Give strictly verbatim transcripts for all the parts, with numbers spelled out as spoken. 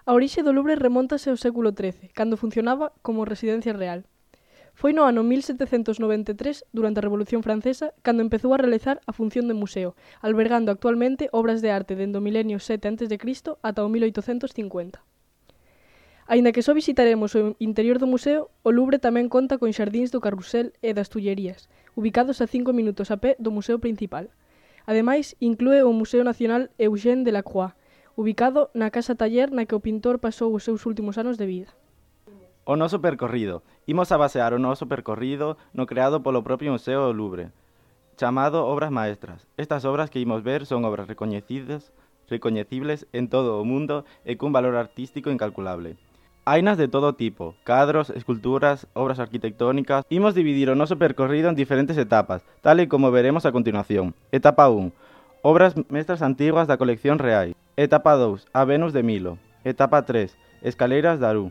A orixe do Louvre remóntase ao século trece, cando funcionaba como residencia real. Foi no ano mil setecentos noventa e tres, durante a Revolución Francesa, cando empezou a realizar a función de museo, albergando actualmente obras de arte dende o milenio sete antes de Cristo ata o mil oitocentos cincuenta. Aínda que só visitaremos o interior do museo, o Louvre tamén conta con xardíns do Carrusel e das Tullerías, ubicados a cinco minutos a pé do museo principal. Ademais, inclúe o Museo Nacional Eugène Delacroix, ubicado na casa taller na que o pintor pasou os seus últimos anos de vida. O noso percorrido. Imos a basear o noso percorrido no creado polo propio Museo do Louvre, chamado Obras Maestras. Estas obras que imos ver son obras recoñecidas, recoñecibles en todo o mundo e cun valor artístico incalculable. Hainas de todo tipo, cadros, esculturas, obras arquitectónicas. Imos dividir o noso percorrido en diferentes etapas, tal e como veremos a continuación. Etapa un. Obras mestras antiguas da colección real. Etapa dous. A Venus de Milo. Etapa tres. Escaleiras de Arú.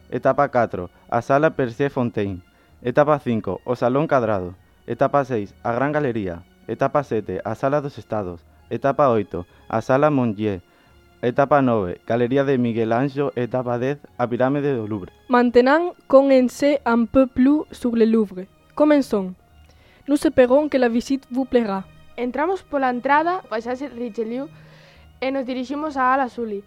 Etapa catro. A Sala Percier Fontaine. Etapa cinco. O Salón Cadrado. Etapa seis. A Gran Galería. Etapa sete. A Sala dos Estados. Etapa oito. A Sala Mongier. Etapa nove. Galería de Miguel Anxo. Etapa dez. A Pirámide do Louvre. Maintenant qu'on en sait un peu plus sur le Louvre. Comenzons. Nous esperons que la visite vous plaira. Entramos pola entrada, paisaxe Richelieu, e nos diriximos á ala Sully.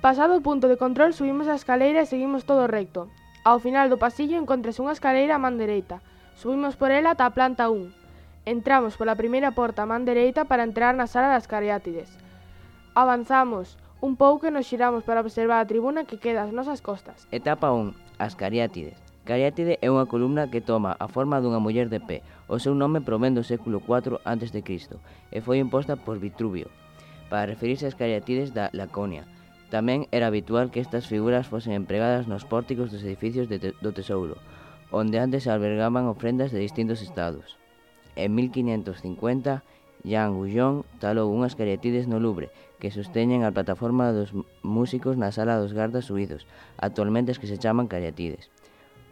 Pasado o punto de control, subimos a escaleira e seguimos todo recto. Ao final do pasillo encontrase unha escaleira a man dereita. Subimos por ela ata a planta un. Entramos pola primeira porta a man dereita para entrar na sala das Cariátides. Avanzamos un pouco e nos xiramos para observar a tribuna que queda ás nosas costas. Etapa un. As Cariátides. Cariátide é unha columna que toma a forma dunha muller de pé. O seu nome provén do século cuatro antes de Cristo e foi imposta por Vitruvio para referirse ás Cariátides da Laconia. Tamén era habitual que estas figuras fosen empregadas nos pórticos dos edificios de te do tesouro, onde antes se albergaban ofrendas de distintos estados. En mil quinhentos cincuenta, Jean Goujon talou unhas Cariátides no Louvre que sosteñen a plataforma dos músicos na sala dos gardas suizos, actualmente as que se chaman Cariátides.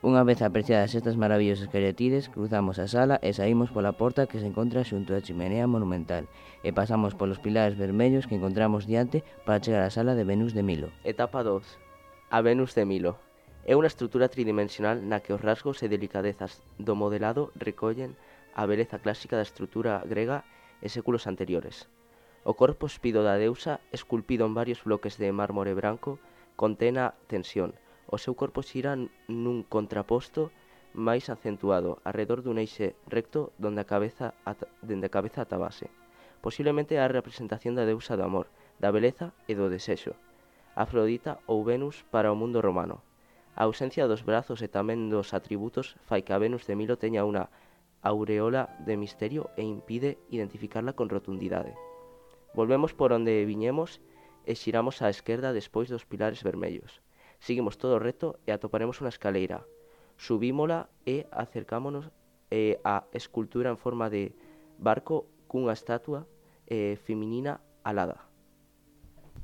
Unha vez apreciadas estas maravillosas Cariátides, cruzamos a sala e saímos pola porta que se encontra xunto á chimenea monumental e pasamos polos pilares vermellos que encontramos diante para chegar á sala de Venus de Milo. Etapa dos. A Venus de Milo. É unha estrutura tridimensional na que os rasgos e delicadezas do modelado recollen a beleza clásica da estrutura grega e séculos anteriores. O corpo espido da deusa, esculpido en varios bloques de mármore branco, contén a tensión. O seu corpo xira nun contraposto máis acentuado, arredor dun eixe recto donde a cabeza ata, dende a cabeza ata a base. Posiblemente é a representación da deusa do amor, da beleza e do desexo, Afrodita ou Venus para o mundo romano. A ausencia dos brazos e tamén dos atributos fai que a Venus de Milo teña unha aureola de misterio e impide identificarla con rotundidade. Volvemos por onde viñemos e xiramos á esquerda despois dos pilares vermellos. Seguimos todo recto e atoparemos unha escaleira. Subímola e acercámonos eh, á escultura en forma de barco cunha estatua eh, feminina alada.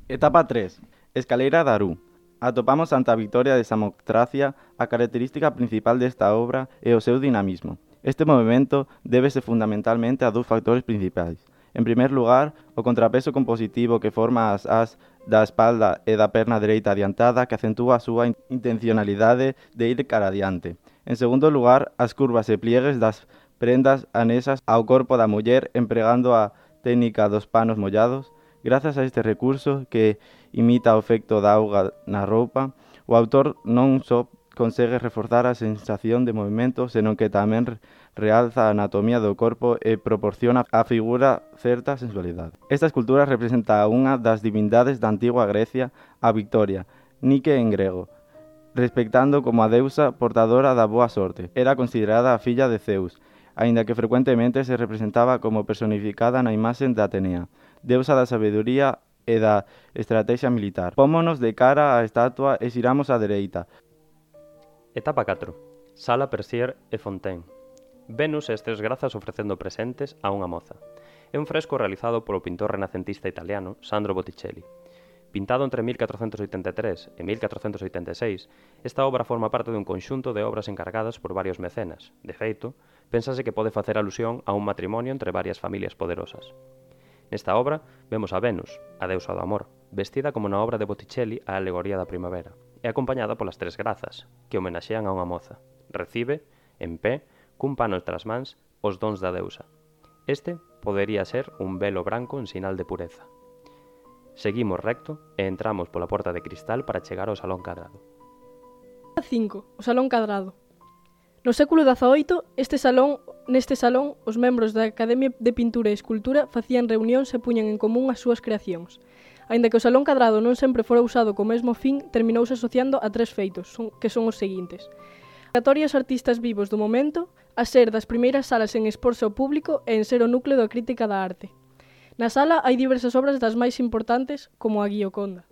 Etapa tres. Escaleira de Arú. Atopamos ante a Victoria de Samotracia a característica principal desta obra e o seu dinamismo. Este movimento débese fundamentalmente a dous factores principais. En primer lugar, o contrapeso compositivo que forma as as da espalda e da perna dereita adiantada que acentúa a súa intencionalidade de ir cara adiante. En segundo lugar, as curvas e pliegues das prendas anexas ao corpo da muller empregando a técnica dos panos mollados. Grazas a este recurso que imita o efecto da auga na roupa, o autor non só consegue reforzar a sensación de movimento, senón que tamén realza a anatomía do corpo e proporciona á figura certa sensualidade. Esta escultura representa unha das divindades da antigua Grecia, a Victoria, Nike en grego, respectando como a deusa portadora da boa sorte. Era considerada a filla de Zeus, aínda que frecuentemente se representaba como personificada na imaxe de Atenea, deusa da sabedoría e da estrategia militar. Pómonos de cara á estatua e xiramos á dereita. Etapa catro. Sala Percier e Fontaine. Venus e as tres grazas ofrecendo presentes a unha moza. É un fresco realizado polo pintor renacentista italiano Sandro Botticelli. Pintado entre mil catrocentos oitenta e tres e mil catrocentos oitenta e seis, esta obra forma parte dun conxunto de obras encargadas por varios mecenas. De feito, pénsase que pode facer alusión a un matrimonio entre varias familias poderosas. Nesta obra vemos a Venus, a deusa do amor, vestida como na obra de Botticelli A alegoría da primavera, e acompañada polas tres grazas, que homenaxean a unha moza. Recibe, en pé, cun pano tras mans, os dons da deusa. Este podería ser un velo branco en sinal de pureza. Seguimos recto e entramos pola porta de cristal para chegar ao Salón Cadrado. cinco. O Salón Cadrado. No século dezaoito, este salón, neste salón, os membros da Academia de Pintura e Escultura facían reunións e puñan en común as súas creacións. Aínda que o Salón Cadrado non sempre fora usado co mesmo fin, terminouse asociando a tres feitos, son, que son os seguintes. Convocatorias artistas vivos do momento, a ser das primeiras salas en exporse ao público e en ser o núcleo da crítica da arte. Na sala hai diversas obras das máis importantes, como a Gioconda.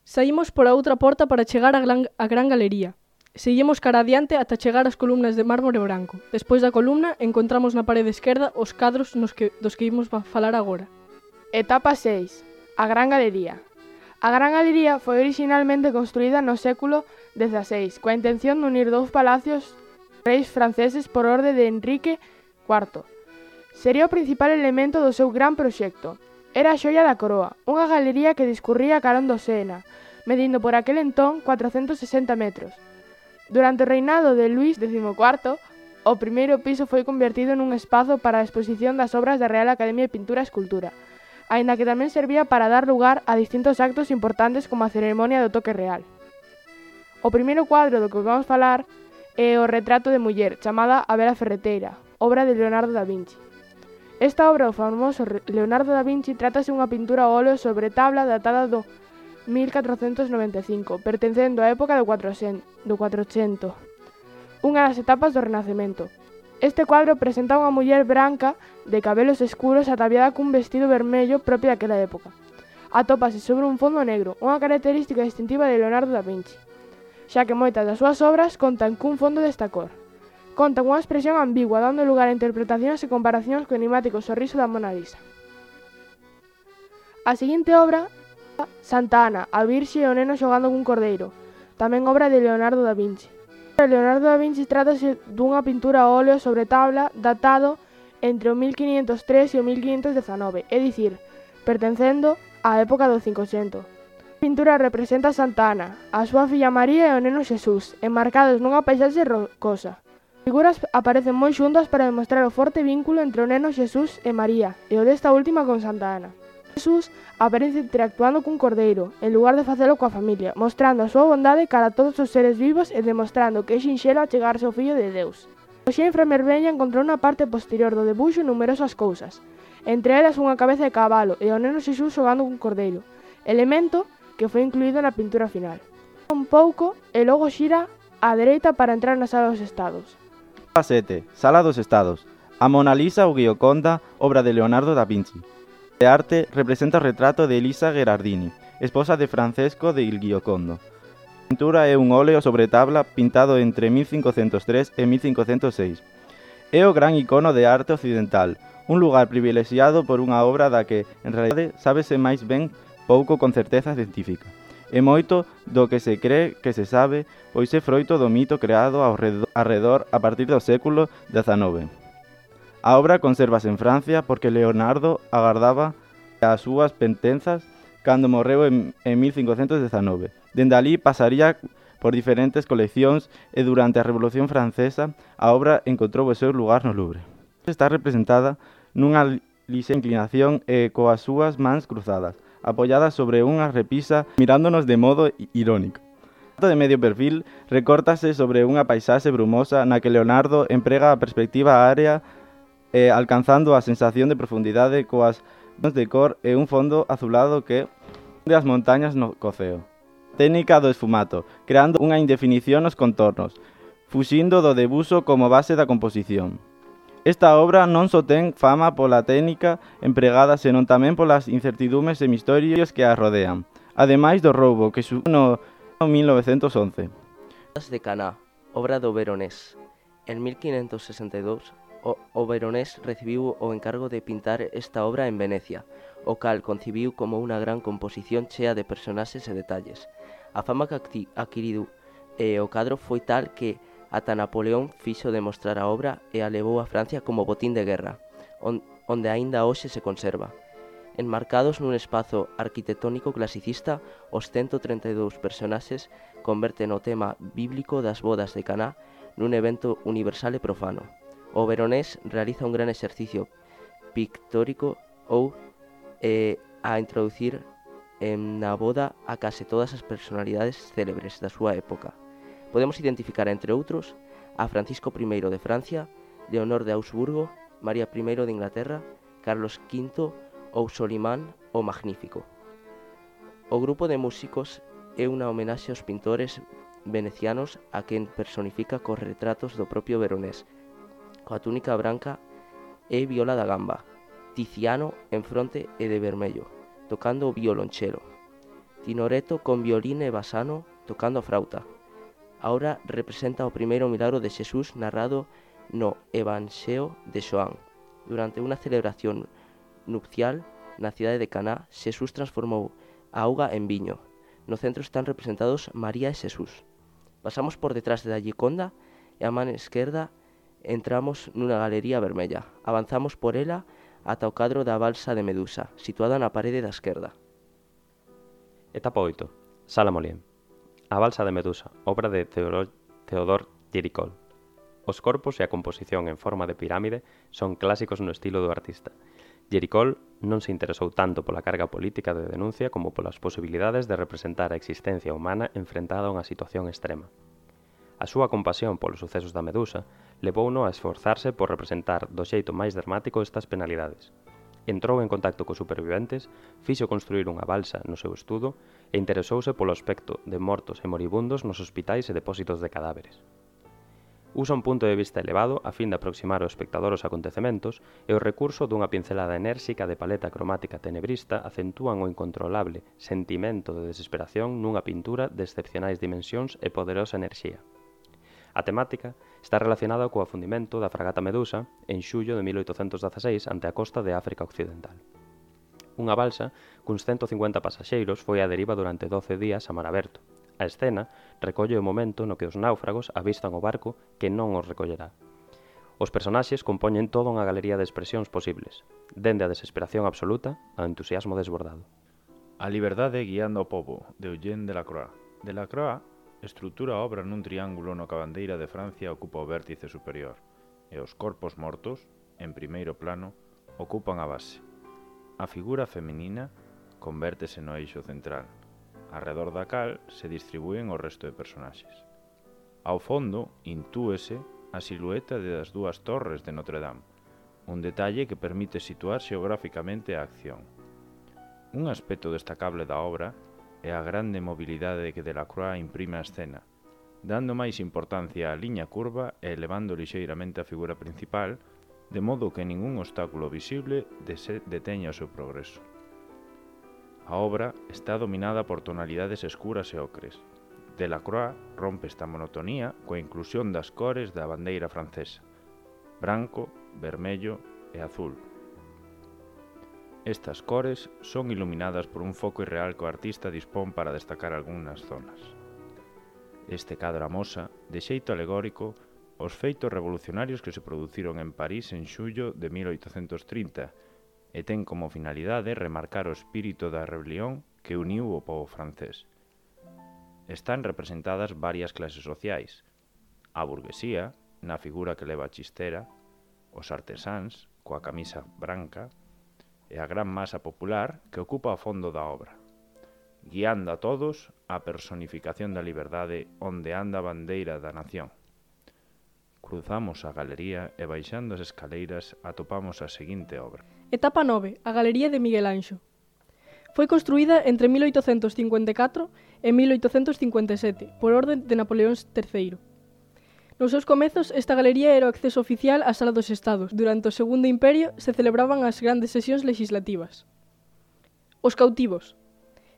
Saímos por a outra porta para chegar á gran, a gran galería. Seguimos cara adiante ata chegar ás columnas de mármore branco. Despois da columna, encontramos na parede esquerda os cadros nos que, dos que imos falar agora. Etapa seis. A Gran Galería. A Gran Galería foi originalmente construída no século dezaseis, coa intención de unir dous palacios reis franceses por orde de Enrique cuarto. Sería o principal elemento do seu gran proxecto. Era a xoia da coroa, unha galería que discurría carón do Sena, medindo por aquel entón cuatrocentos sesenta metros. Durante o reinado de Luís décimo cuarto, o primeiro piso foi convertido nun espazo para a exposición das obras da Real Academia de Pintura e Escultura, aínda que tamén servía para dar lugar a distintos actos importantes como a ceremonia do toque real. O primeiro cuadro do que vamos falar é o Retrato de muller, chamada A Bela Ferreteira, obra de Leonardo da Vinci. Esta obra do famoso Leonardo da Vinci trátase unha pintura a óleo sobre tabla datada do mil catrocentos noventa e cinco, pertencendo á época do cuatrocento, unha das etapas do Renacemento. Este cuadro presenta unha muller branca de cabelos escuros ataviada cun vestido vermello propio daquela época. Atópase sobre un fondo negro, unha característica distintiva de Leonardo da Vinci, xa que moitas das súas obras contan cun fondo desta cor. Contan unha expresión ambigua, dando lugar a interpretacións e comparacións co enigmático sorriso da Mona Lisa. A seguinte obra, Santa Ana, a Virxe e o neno xogando cun cordeiro, tamén obra de Leonardo da Vinci. Leonardo da Vinci trátase dunha pintura a óleo sobre tabla datado entre o mil quinientos tres e o mil quinientos dezanove, é dicir, pertencendo á época do cincoxento. A pintura representa a Santa Ana, a súa filla María e o neno Xesús, enmarcados nunha paisaxe rocosa. As figuras aparecen moi xuntas para demostrar o forte vínculo entre o neno Xesús e María, e o desta última con Santa Ana. Xesús aparece interactuando cun cordeiro, en lugar de facelo coa familia, mostrando a súa bondade cara a todos os seres vivos e demostrando que é sinxelo achegarse ao Fillo de Deus. O xenfra Merveña encontrou na parte posterior do debuxo numerosas cousas, entre elas unha cabeza de cabalo e o neno Xesús xogando cun cordeiro, elemento que foi incluído na pintura final. Un pouco e logo xira á dereita para entrar na Sala dos Estados. sete. Sala dos Estados. A Mona Lisa ou Gioconda, obra de Leonardo da Vinci. De arte representa o retrato de Elisa Gherardini, esposa de Francesco de Il Giocondo. A pintura é un óleo sobre tabla pintado entre mil cincocentos tres e mil cincocentos seis. É o gran icono de arte occidental, un lugar privilexiado por unha obra da que, en realidade, sábese máis ben pouco con certeza científica. E moito do que se cree que se sabe, pois é froito do mito creado ao redor a partir do século dezanove. A obra consérvase en Francia porque Leonardo agardaba as súas pentenzas cando morreu en, en mil cincocentos dezanove. Dende alí pasaría por diferentes coleccións e durante a Revolución Francesa a obra encontrou o seu lugar no Louvre. Está representada nunha lixa inclinación e coas súas mans cruzadas, apoiadas sobre unha repisa mirándonos de modo irónico. O de medio perfil recórtase sobre unha paisaxe brumosa na que Leonardo emprega a perspectiva área eh, alcanzando a sensación de profundidade coas tons de cor e un fondo azulado que de as montañas no coceo. Técnica do esfumato, creando unha indefinición nos contornos, fuxindo do debuxo como base da composición. Esta obra non só ten fama pola técnica empregada, senón tamén polas incertidumes e misterios que a rodean, ademais do roubo que sucedeu no mil novecentos once. Bodas de Caná, obra do Veronés. En mil quinhentos sesenta e dous, o, o Veronés recibiu o encargo de pintar esta obra en Venecia, o cal concibiu como unha gran composición chea de personaxes e detalles. A fama que adquiriu e o cadro foi tal que ata Napoleón fixo demostrar a obra e a levou a Francia como botín de guerra, on, onde aínda hoxe se conserva. Enmarcados nun espazo arquitectónico clasicista, os ciento treinta e dous personaxes converten o tema bíblico das bodas de Caná nun evento universal e profano. O veronés realiza un gran exercicio pictórico ou eh, a introducir en na boda a case todas as personalidades célebres da súa época. Podemos identificar, entre outros, a Francisco primeiro de Francia, Leonor de Augsburgo, María primeiro de Inglaterra, Carlos quinto ou Solimán o Magnífico. O grupo de músicos é unha homenaxe aos pintores venecianos a quen personifica cos retratos do propio veronés, coa túnica branca e viola da gamba, Tiziano en fronte e de vermello, tocando o violonchelo, Tinoreto con violín e basano tocando a frauta. Ahora representa o primeiro milagro de Xesús narrado no Evanxeo de Xoán. Durante unha celebración nupcial na cidade de Caná, Xesús transformou a auga en viño. No centro están representados María e Xesús. Pasamos por detrás da Gioconda e a man esquerda entramos nunha galería vermella. Avanzamos por ela ata o cadro da balsa de Medusa, situada na parede da esquerda. Etapa oito. Sala Molien. A balsa de Medusa, obra de Teodor Géricol. Os corpos e a composición en forma de pirámide son clásicos no estilo do artista. Géricol non se interesou tanto pola carga política de denuncia como polas posibilidades de representar a existencia humana enfrentada a unha situación extrema. A súa compasión polos sucesos da Medusa levouno a esforzarse por representar do xeito máis dramático estas penalidades. Entrou en contacto cos superviventes, fixo construir unha balsa no seu estudo e interesouse polo aspecto de mortos e moribundos nos hospitais e depósitos de cadáveres. Usa un punto de vista elevado a fin de aproximar ao espectador os acontecementos e o recurso dunha pincelada enérxica de paleta cromática tenebrista acentúan o incontrolable sentimento de desesperación nunha pintura de excepcionais dimensións e poderosa enerxía. A temática está relacionada co afundimento da fragata Medusa en xullo de mil oitocentos dezaseis ante a costa de África Occidental. Unha balsa cuns ciento cincuenta pasaxeiros foi á deriva durante doce días a mar aberto. A escena recolle o momento no que os náufragos avistan o barco que non os recollerá. Os personaxes compoñen toda unha galería de expresións posibles, dende a desesperación absoluta ao entusiasmo desbordado. A liberdade guiando o pobo, de Eugène Delacroix. Delacroix estrutura a obra nun triángulo no que a bandeira de Francia ocupa o vértice superior, e os corpos mortos, en primeiro plano, ocupan a base. A figura feminina convértese no eixo central, arredor da cal se distribúen o resto de personaxes. Ao fondo, intúese a silueta das dúas torres de Notre Dame, un detalle que permite situar xeográficamente a acción. Un aspecto destacable da obra é a grande mobilidade que Delacroix imprime á escena, dando máis importancia á liña curva e elevando lixeiramente a figura principal, de modo que ningún obstáculo visible deteña o seu progreso. A obra está dominada por tonalidades escuras e ocres. Delacroix rompe esta monotonía coa inclusión das cores da bandeira francesa, branco, vermello e azul. Estas cores son iluminadas por un foco irreal que o artista dispón para destacar algunhas zonas. Este cadro amosa, de xeito alegórico, os feitos revolucionarios que se produciron en París en xullo de mil oitocentos trinta, e ten como finalidade remarcar o espírito da rebelión que uniu o pobo francés. Están representadas varias clases sociais: a burguesía, na figura que leva a chistera, os artesáns, coa camisa branca, e a gran masa popular que ocupa o fondo da obra, guiando a todos a personificación da liberdade onde anda a bandeira da nación. Cruzamos a galería e baixando as escaleiras atopamos a seguinte obra. Etapa nove. A Galería de Miguel Anxo. Foi construída entre mil oitocentos cincuenta e catro e mil oitocentos cincuenta e sete por orde de Napoleón terceiro. Nos seus comezos, esta galería era o acceso oficial á Sala dos Estados. Durante o Segundo Imperio se celebraban as grandes sesións legislativas. Os cautivos.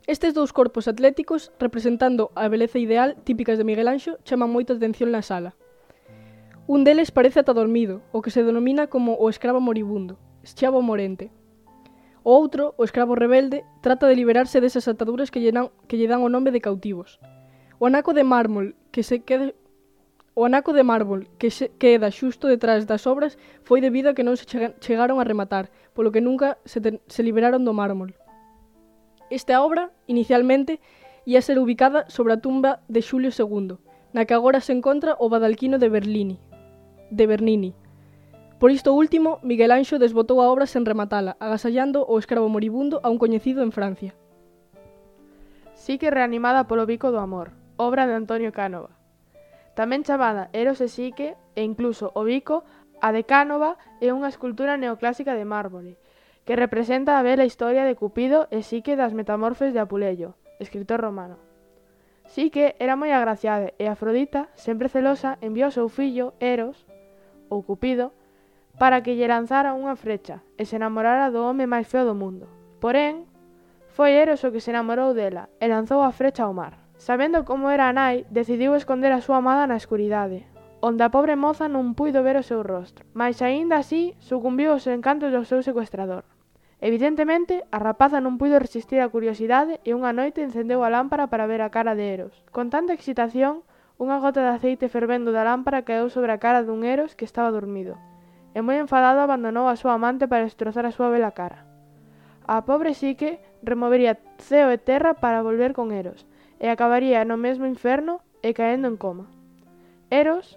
Estes dous corpos atléticos, representando a beleza ideal típicas de Miguel Anxo, chaman moito a atención na sala. Un deles parece ata dormido, o que se denomina como o escravo moribundo, escravo morente. O outro, o escravo rebelde, trata de liberarse desas ataduras que lle dan, que lle dan o nome de cautivos. O anaco de mármol que se quede O anaco de mármol que se queda xusto detrás das obras foi debido a que non se chega- chegaron a rematar, polo que nunca se, ten- se liberaron do mármol. Esta obra, inicialmente, ia ser ubicada sobre a tumba de Xulio segundo, na que agora se encontra o Badalquino de Berlini, de Bernini. Por isto último, Miguel Anxo desbotou a obra sen rematala, agasallando o escravo moribundo a un coñecido en Francia. Psique reanimada polo bico do amor, obra de Antonio Cánova. Tamén chamada Eros e Psique, e incluso o bico, a de Cánova é unha escultura neoclásica de mármore, que representa a bela historia de Cupido e Psique das Metamorfes de Apuleyo, escritor romano. Psique era moi agraciada e Afrodita, sempre celosa, enviou ao seu fillo, Eros, ou Cupido, para que lle lanzara unha frecha e se namorara do home máis feo do mundo. Porén, foi Eros o que se namorou dela e lanzou a frecha ao mar. Sabendo como era a nai, decidiu esconder a súa amada na escuridade, onde a pobre moza non puido ver o seu rostro, mas aínda así sucumbiu aos encantos do seu secuestrador. Evidentemente, a rapaza non puido resistir a curiosidade e unha noite encendeu a lámpara para ver a cara de Eros. Con tanta excitación, unha gota de aceite fervendo da lámpara caeu sobre a cara dun Eros que estaba dormido, e moi enfadado abandonou a súa amante para destrozar a súa bela cara. A pobre Psique removería ceo e terra para volver con Eros, e acabaría no mesmo inferno e caendo en coma. Eros,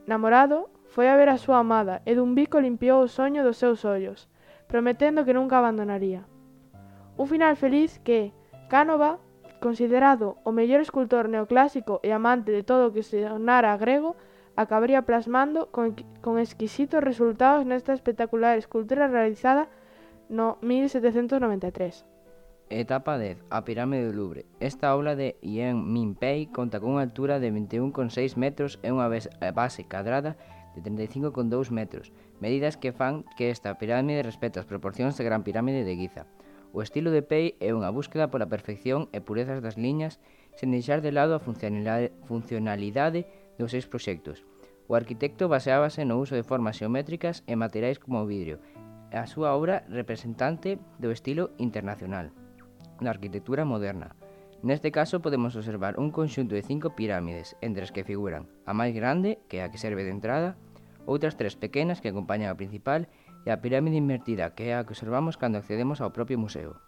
namorado, foi a ver a súa amada e dun bico limpiou o soño dos seus ollos, prometendo que nunca abandonaría. Un final feliz que Cánova, considerado o mellor escultor neoclásico e amante de todo o que sonara grego, acabaría plasmando con, con exquisitos resultados nesta espectacular escultura realizada no mil setecentos noventa e tres. Etapa dez. A pirámide do Louvre. Esta obra de Yen Min-pei conta con unha altura de vinte e un coma seis metros e unha base cadrada de trinta e cinco coma dous metros, medidas que fan que esta pirámide respete as proporcións da Gran Pirámide de Giza. O estilo de Pei é unha búsqueda pola perfección e purezas das liñas sen deixar de lado a funcionalidade, funcionalidade dos seus proxectos. O arquitecto baseábase no uso de formas xeométricas e materiais como o vidrio, e a súa obra representante do estilo internacional na arquitectura moderna. Neste caso podemos observar un conxunto de cinco pirámides, entre as que figuran a máis grande, que é a que serve de entrada, outras tres pequenas que acompañan a principal e a pirámide invertida, que é a que observamos cando accedemos ao propio museo.